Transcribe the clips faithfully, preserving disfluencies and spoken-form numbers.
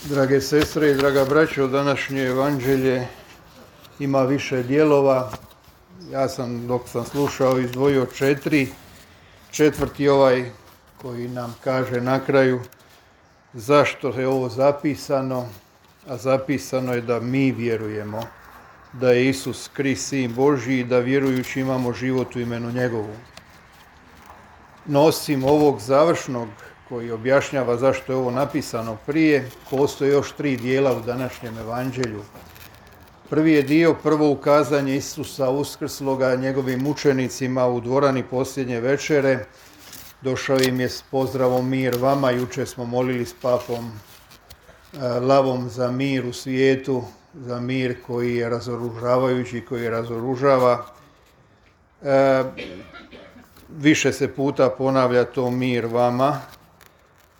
Drage sestre i draga braćo, današnje evanđelje ima više dijelova. Ja sam, dok sam slušao, izdvojio četiri. Četvrti ovaj koji nam kaže na kraju zašto je ovo zapisano, a zapisano je da mi vjerujemo da je Isus Krist Sin Božji i da vjerujući imamo život u imenu njegovu. No osim ovog završnog koji objašnjava zašto je ovo napisano prije, postoje još tri dijela u današnjem evanđelju. Prvi je dio, prvo ukazanje Isusa uskrsloga njegovim učenicima u dvorani posljednje večere. Došao im je s pozdravom mir vama, jučer smo molili s papom Lavom za mir u svijetu, za mir koji je razoružavajući, koji razoružava. E, više se puta ponavlja to mir vama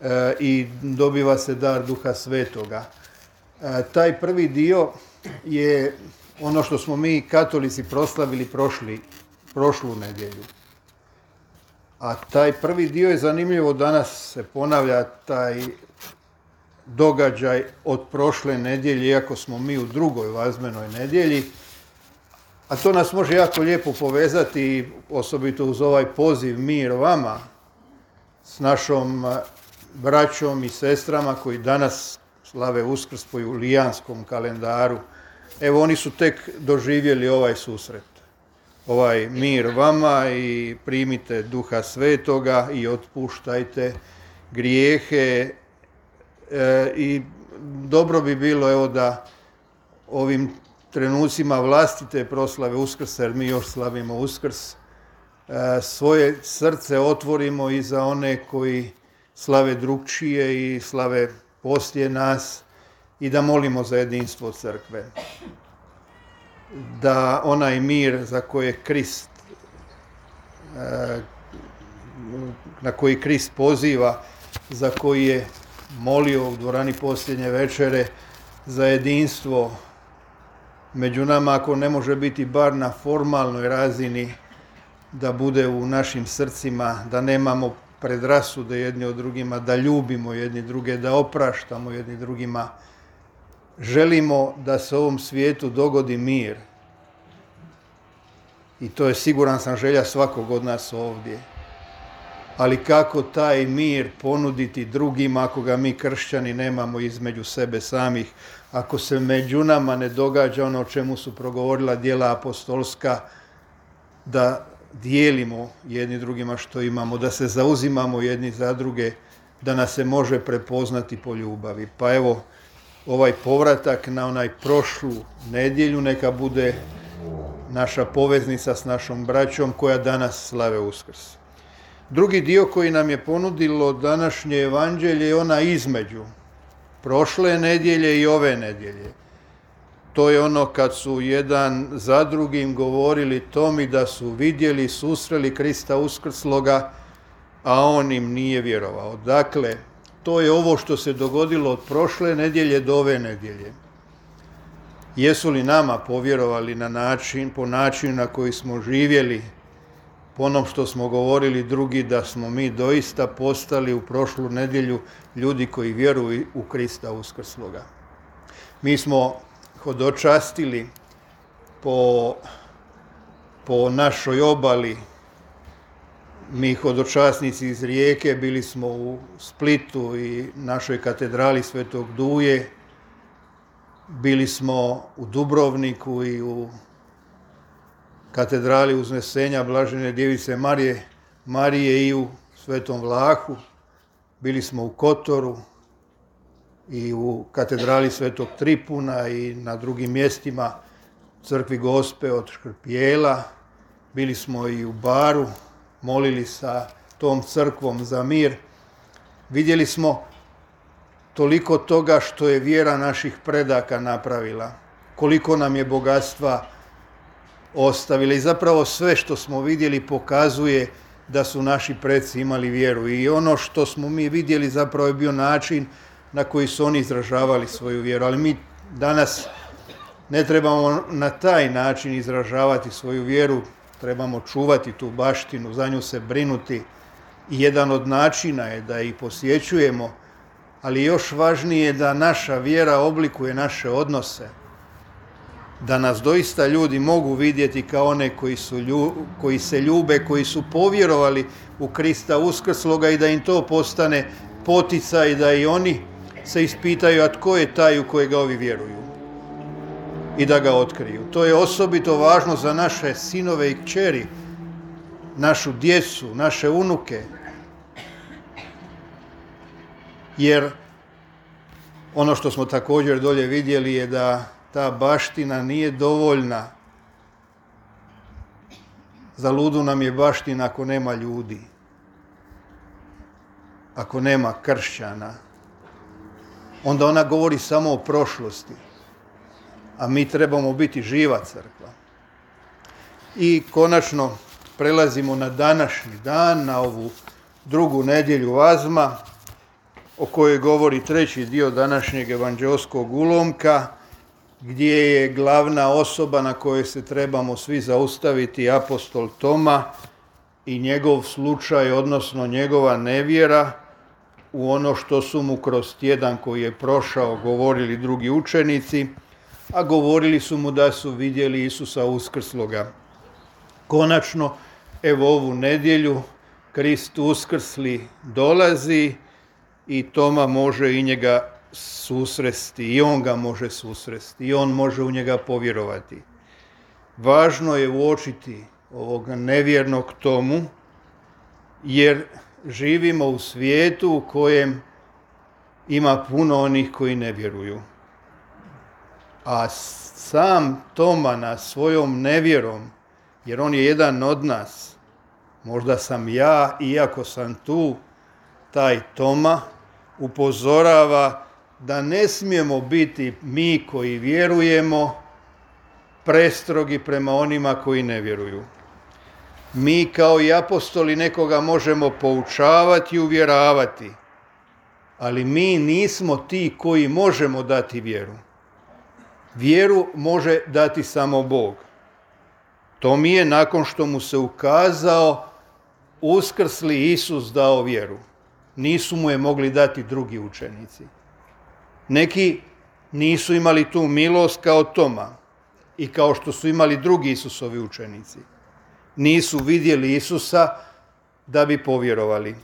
e, i dobiva se dar Duha Svetoga. E, taj prvi dio je ono što smo mi katolici proslavili prošli, prošlu nedjelju. A taj prvi dio je zanimljivo, danas se ponavlja taj događaj od prošle nedjelje, iako smo mi u drugoj vazmenoj nedjelji. A to nas može jako lijepo povezati, osobito uz ovaj poziv mir vama, s našom braćom i sestrama koji danas slave Uskrs po julijanskom kalendaru. Evo, oni su tek doživjeli ovaj susret. Ovaj mir vama i primite Duha Svetoga i otpuštajte grijehe. E, I dobro bi bilo, evo, da ovim trenucima vlastite proslave Uskrsa, jer mi još slavimo Uskrs, e, svoje srce otvorimo i za one koji slave drugčije i slave poslije nas i da molimo za jedinstvo crkve. Da onaj mir za koje Krist, e, na koji Krist poziva, za koji je molio u dvorani posljednje večere, za jedinstvo među nama, ako ne može biti bar na formalnoj razini, da bude u našim srcima, da nemamo predrasude jedni od drugima, da ljubimo jedni druge, da opraštamo jedni drugima. Želimo da se ovom svijetu dogodi mir. I to je, siguran sam, želja svakog od nas ovdje. Ali kako taj mir ponuditi drugima ako ga mi kršćani nemamo između sebe samih, ako se među nama ne događa ono o čemu su progovorila djela apostolska, da dijelimo jedni drugima što imamo, da se zauzimamo jedni za druge, da nas se može prepoznati po ljubavi. Pa evo, ovaj povratak na onaj prošlu nedjelju neka bude naša poveznica s našom braćom koja danas slave Uskrs. Drugi dio koji nam je ponudilo današnje evanđelje je ona između prošle nedjelje i ove nedjelje. To je ono kad su jedan za drugim govorili Tomi da su vidjeli, susreli Krista uskrsloga, a on im nije vjerovao. Dakle, to je ovo što se dogodilo od prošle nedjelje do ove nedjelje. Jesu li nama povjerovali na način, po načinu na koji smo živjeli, po onom što smo govorili drugi, da smo mi doista postali u prošlu nedjelju ljudi koji vjeruju u Krista uskrsloga. Mi smo hodočastili po, po našoj obali, mi hodočasnici iz Rijeke, bili smo u Splitu i našoj katedrali Svetog Duje, bili smo u Dubrovniku i u katedrali Uznesenja Blažene Djevice Marije, Marije i u Svetom Vlahu, bili smo u Kotoru i u katedrali Svetog Tripuna i na drugim mjestima, crkvi Gospe od Škrpijela, bili smo i u Baru, molili sa tom crkvom za mir. Vidjeli smo toliko toga što je vjera naših predaka napravila, koliko nam je bogatstva ostavila i zapravo sve što smo vidjeli pokazuje da su naši preci imali vjeru i ono što smo mi vidjeli zapravo je bio način na koji su oni izražavali svoju vjeru, ali mi danas ne trebamo na taj način izražavati svoju vjeru, trebamo čuvati tu baštinu, za nju se brinuti i jedan od načina je da ih posjećujemo ali još važnije da naša vjera oblikuje naše odnose. Da nas doista ljudi mogu vidjeti kao one koji, su lju, koji se ljube, koji su povjerovali u Krista uskrsloga i da im to postane poticaj da i oni se ispitaju, a tko je taj u kojega ovi vjeruju i da ga otkriju. To je osobito važno za naše sinove i kćeri, našu djecu, naše unuke. Jer ono što smo također dolje vidjeli je da ta baština nije dovoljna. Za ludu nam je baština ako nema ljudi, ako nema kršćana. Onda ona govori samo o prošlosti, a mi trebamo biti živa crkva. I konačno prelazimo na današnji dan, na ovu drugu nedjelju Azma, o kojoj govori treći dio današnjeg evanđeoskog ulomka, gdje je glavna osoba na kojoj se trebamo svi zaustaviti apostol Toma i njegov slučaj, odnosno njegova nevjera u ono što su mu kroz tjedan koji je prošao govorili drugi učenici, a govorili su mu da su vidjeli Isusa uskrsloga. Konačno, evo ovu nedjelju, Krist uskrsli dolazi i Toma može i njega susresti, i on ga može susresti, i on može u njega povjerovati. Važno je uočiti ovog nevjernog Tomu, jer živimo u svijetu u kojem ima puno onih koji ne vjeruju. A sam Toma na svojom nevjerom, jer on je jedan od nas, možda sam ja, iako sam tu, taj Toma, upozorava da ne smijemo biti mi koji vjerujemo prestrogi prema onima koji ne vjeruju. Mi kao i apostoli nekoga možemo poučavati i uvjeravati, ali mi nismo ti koji možemo dati vjeru. Vjeru može dati samo Bog. To mi je nakon što mu se ukazao uskrsli Isus dao vjeru. Nisu mu je mogli dati drugi učenici. Neki nisu imali tu milost kao Toma i kao što su imali drugi Isusovi učenici. Nisu vidjeli Isusa da bi povjerovali.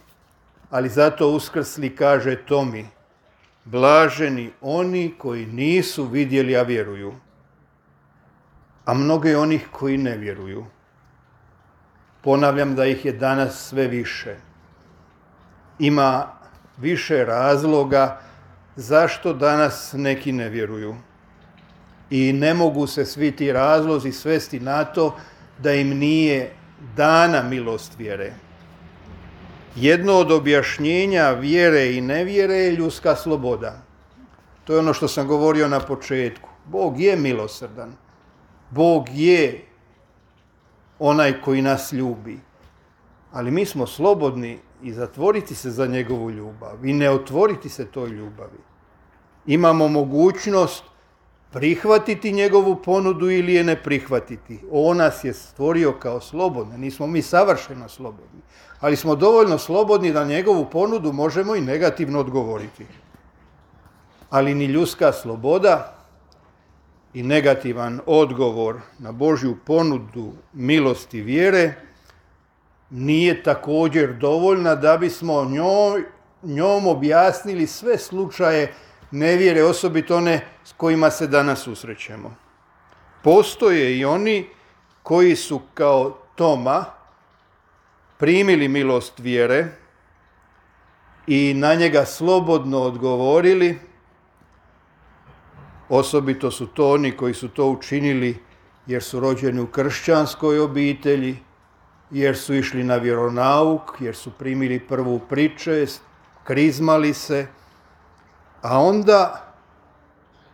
Ali zato uskrsli kaže Tomi, blaženi oni koji nisu vidjeli, a vjeruju. A mnogo je onih koji ne vjeruju. Ponavljam da ih je danas sve više. Ima više razloga zašto danas neki ne vjeruju. I ne mogu se svi ti razlozi svesti na to da im nije dana milost vjere. Jedno od objašnjenja vjere i nevjere je ljudska sloboda. To je ono što sam govorio na početku. Bog je milosrdan. Bog je onaj koji nas ljubi. Ali mi smo slobodni i zatvoriti se za njegovu ljubav i ne otvoriti se toj ljubavi. Imamo mogućnost prihvatiti njegovu ponudu ili je ne prihvatiti. On nas je stvorio kao slobodne. Nismo mi savršeno slobodni, ali smo dovoljno slobodni da njegovu ponudu možemo i negativno odgovoriti. Ali ni ljudska sloboda i negativan odgovor na Božju ponudu milosti vjere nije također dovoljna da bismo njoj, njom objasnili sve slučaje nevjere, osobito one s kojima se danas susrećemo. Postoje i oni koji su kao Toma primili milost vjere i na njega slobodno odgovorili. Osobito su to oni koji su to učinili jer su rođeni u kršćanskoj obitelji, jer su išli na vjeronauk, jer su primili prvu pričest, krizmali se, a onda,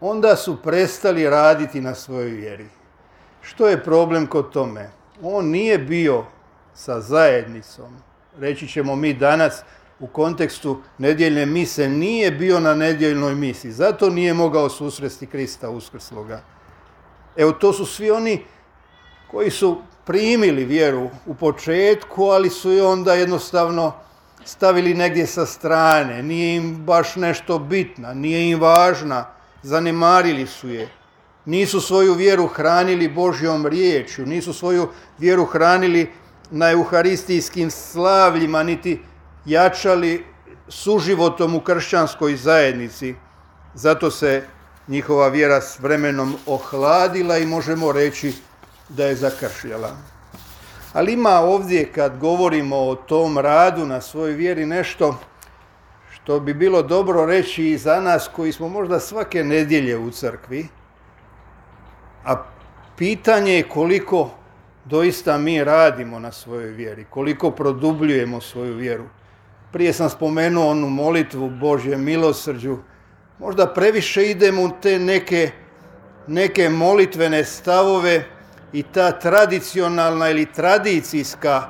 onda su prestali raditi na svojoj vjeri. Što je problem kod tome? On nije bio sa zajednicom. Reći ćemo mi danas u kontekstu nedjeljne mise, nije bio na nedjeljnoj misi. Zato nije mogao susresti Krista uskrsloga. Evo, to su svi oni koji su primili vjeru u početku, ali su i onda jednostavno stavili negdje sa strane, nije im baš nešto bitna, nije im važna, zanemarili su je. Nisu svoju vjeru hranili Božjom riječju, nisu svoju vjeru hranili na euharistijskim slavljima, niti jačali suživotom u kršćanskoj zajednici. Zato se njihova vjera s vremenom ohladila i možemo reći da je zakršljala. Ali ima ovdje, kad govorimo o tom radu na svojoj vjeri, nešto što bi bilo dobro reći i za nas koji smo možda svake nedjelje u crkvi, a pitanje je koliko doista mi radimo na svojoj vjeri, koliko produbljujemo svoju vjeru. Prije sam spomenuo onu molitvu Božjem milosrđu. Možda previše idemo u te neke, neke molitvene stavove i ta tradicionalna ili tradicijska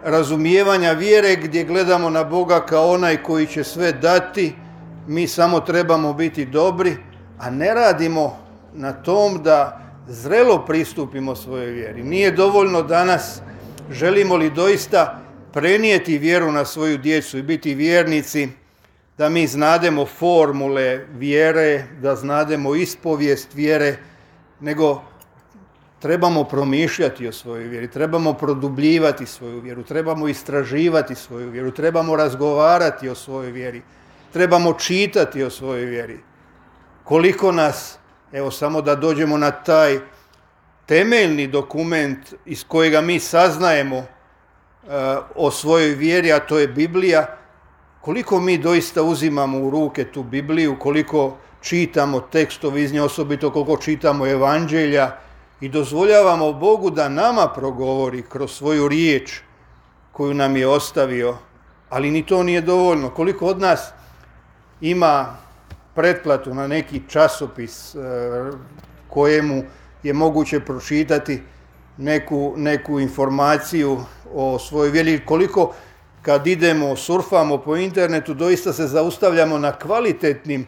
razumijevanja vjere gdje gledamo na Boga kao onaj koji će sve dati, mi samo trebamo biti dobri, a ne radimo na tom da zrelo pristupimo svojoj vjeri. Nije dovoljno danas, želimo li doista prenijeti vjeru na svoju djecu i biti vjernici, da mi znademo formule vjere, da znademo ispovijest vjere, nego trebamo promišljati o svojoj vjeri, trebamo produbljivati svoju vjeru, trebamo istraživati svoju vjeru, trebamo razgovarati o svojoj vjeri, trebamo čitati o svojoj vjeri. Koliko nas, evo samo da dođemo na taj temeljni dokument iz kojega mi saznajemo uh, o svojoj vjeri, a to je Biblija, koliko mi doista uzimamo u ruke tu Bibliju, koliko čitamo tekstove iz nje, osobito koliko čitamo evanđelja i dozvoljavamo Bogu da nama progovori kroz svoju riječ koju nam je ostavio, ali ni to nije dovoljno. Koliko od nas ima pretplatu na neki časopis kojemu je moguće pročitati neku, neku informaciju o svojoj vjeri, koliko kad idemo, surfamo po internetu, doista se zaustavljamo na kvalitetnim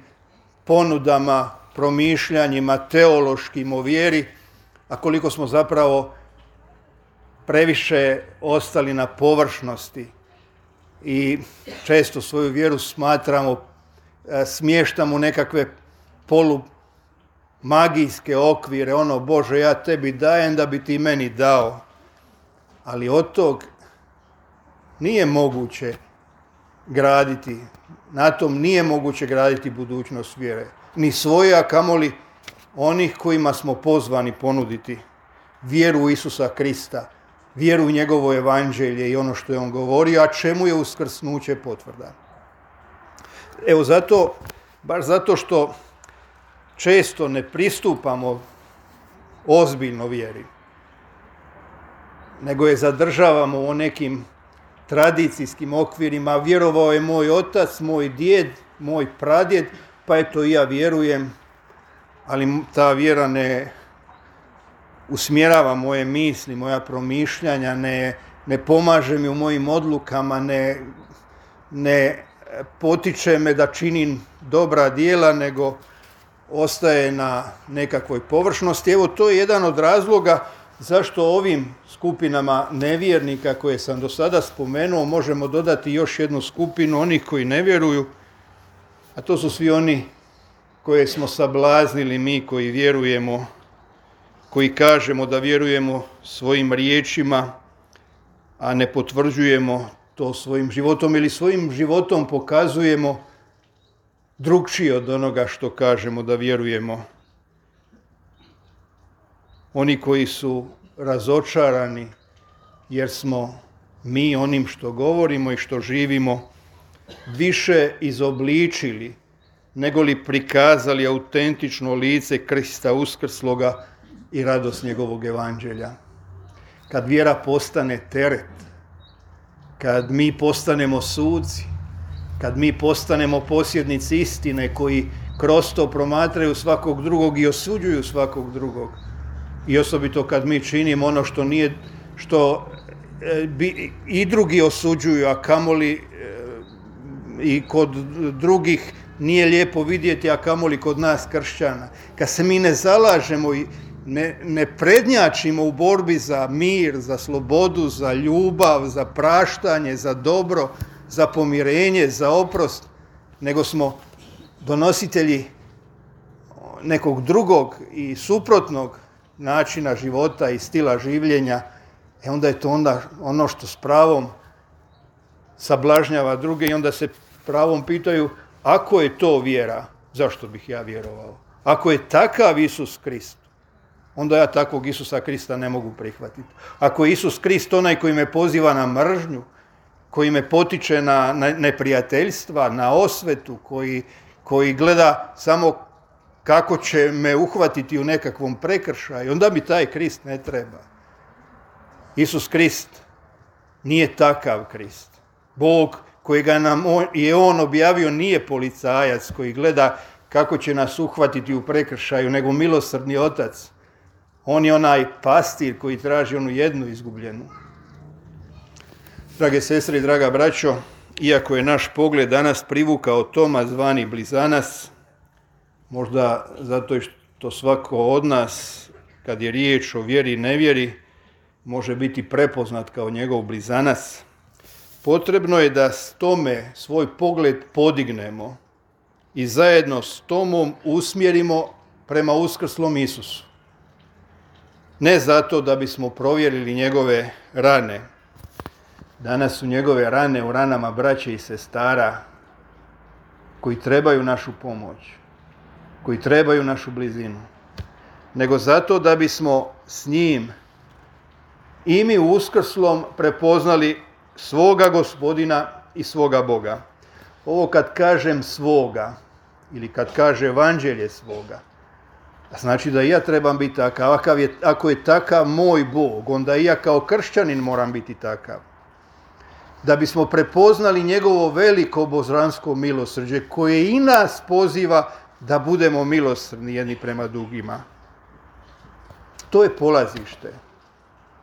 ponudama, promišljanjima, teološkim o vjeri, a koliko smo zapravo previše ostali na površnosti i često svoju vjeru smatramo, smještamo u nekakve polumagijske okvire, ono Bože ja tebi dajem da bi ti meni dao. Ali od tog nije moguće graditi, na tom nije moguće graditi budućnost vjere. Ni svoje, a kamoli onih kojima smo pozvani ponuditi vjeru u Isusa Krista, vjeru u njegovo evanđelje i ono što je on govorio, a čemu je uskrsnuće potvrda. Evo zato, baš zato što često ne pristupamo ozbiljno vjeri, nego je zadržavamo u nekim tradicijskim okvirima. Vjerovao je moj otac, moj djed, moj pradjed, pa eto i ja vjerujem, ali ta vjera ne usmjerava moje misli, moja promišljanja, ne, ne pomaže mi u mojim odlukama, ne, ne potiče me da činim dobra djela, nego ostaje na nekakvoj površnosti. Evo, to je jedan od razloga zašto ovim skupinama nevjernika koje sam do sada spomenuo možemo dodati još jednu skupinu onih koji ne vjeruju, a to su svi oni koje smo sablaznili mi koji vjerujemo, koji kažemo da vjerujemo svojim riječima, a ne potvrđujemo to svojim životom ili svojim životom pokazujemo drugčije od onoga što kažemo da vjerujemo. Oni koji su razočarani jer smo mi onim što govorimo i što živimo više izobličili nego li prikazali autentično lice Krista uskrsloga i radost njegovog evanđelja. Kad vjera postane teret, kad mi postanemo suci, kad mi postanemo posjednici istine koji kroz to promatraju svakog drugog i osuđuju svakog drugog, i osobito kad mi činimo ono što nije, što e, bi, i drugi osuđuju, a kamoli e, i kod drugih nije lijepo vidjeti, a kamoli kod nas kršćana. Kad se mi ne zalažemo i ne, ne prednjačimo u borbi za mir, za slobodu, za ljubav, za praštanje, za dobro, za pomirenje, za oprost, nego smo donositelji nekog drugog i suprotnog načina života i stila življenja, e onda je to onda ono što s pravom sablažnjava druge i onda se pravom pitaju, ako je to vjera, zašto bih ja vjerovao? Ako je takav Isus Krist, onda ja takvog Isusa Krista ne mogu prihvatiti. Ako je Isus Krist onaj koji me poziva na mržnju, koji me potiče na neprijateljstva, na osvetu, koji, koji gleda samo kako će me uhvatiti u nekakvom prekršaju, onda mi taj Krist ne treba. Isus Krist nije takav Krist. Bog kojega nam on, je on objavio nije policajac koji gleda kako će nas uhvatiti u prekršaju, nego milosrdni otac. On je onaj pastir koji traži onu jednu izgubljenu. Drage sestre i draga braćo, iako je naš pogled danas privukao Toma zvani blizanac, možda zato što svako od nas, kad je riječ o vjeri i nevjeri, može biti prepoznat kao njegov blizanac, potrebno je da s tome svoj pogled podignemo i zajedno s Tomom usmjerimo prema uskrslom Isusu. Ne zato da bismo provjerili njegove rane. Danas su njegove rane u ranama braće i sestara koji trebaju našu pomoć, koji trebaju našu blizinu, nego zato da bismo s njim i mi u uskrslom prepoznali svoga Gospodina i svoga Boga. Ovo kad kažem svoga, ili kad kaže evanđelje svoga, znači da i ja trebam biti takav. Ako je, ako je takav moj Bog, onda i ja kao kršćanin moram biti takav. Da bismo prepoznali njegovo veliko božansko milosrđe koje i nas poziva da budemo milosrdni jedni prema drugima. To je polazište.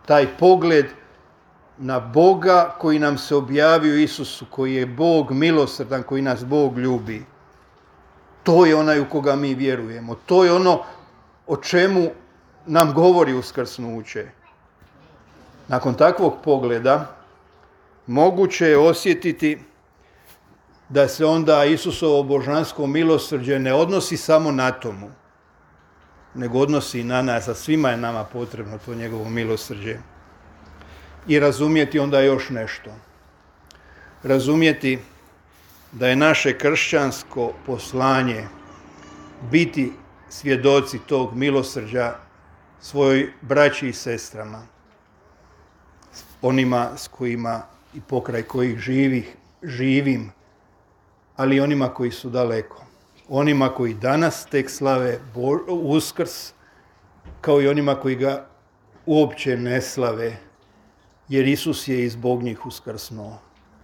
Taj pogled na Boga koji nam se objavio Isusu, koji je Bog milosrdan, koji nas Bog ljubi. To je onaj u koga mi vjerujemo. To je ono o čemu nam govori uskrsnuće. Nakon takvog pogleda moguće je osjetiti da se onda Isusovo božansko milosrđe ne odnosi samo na Tomu, nego odnosi i na nas, a svima je nama potrebno to njegovo milosrđe. I razumjeti onda još nešto. Razumjeti da je naše kršćansko poslanje biti svjedoci tog milosrđa svojoj braći i sestrama, onima s kojima i pokraj kojih živih, živim, ali i onima koji su daleko. Onima koji danas tek slave Uskrs, kao i onima koji ga uopće ne slave, jer Isus je i zbog njih uskrsnuo.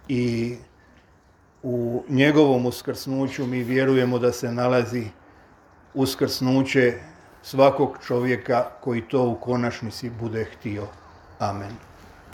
I u njegovom uskrsnuću mi vjerujemo da se nalazi uskrsnuće svakog čovjeka koji to u konačnici bude htio. Amen.